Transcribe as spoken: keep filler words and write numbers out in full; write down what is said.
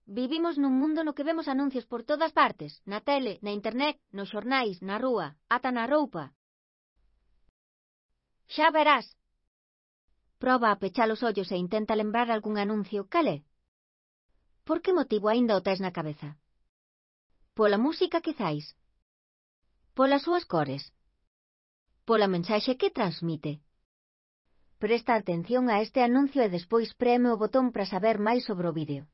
Vivimos nun mundo no que vemos anuncios por todas partes, na tele, na internet, nos xornais, na rúa, ata na roupa. Xa verás. Proba a pechar os ollos e intenta lembrar algún anuncio. Cal é? Por que motivo aínda o tes na cabeza? Pola música, quizais? Polas súas cores? Pola mensaxe que transmite? Presta atención a este anuncio e despois preme o botón para saber máis sobre o vídeo.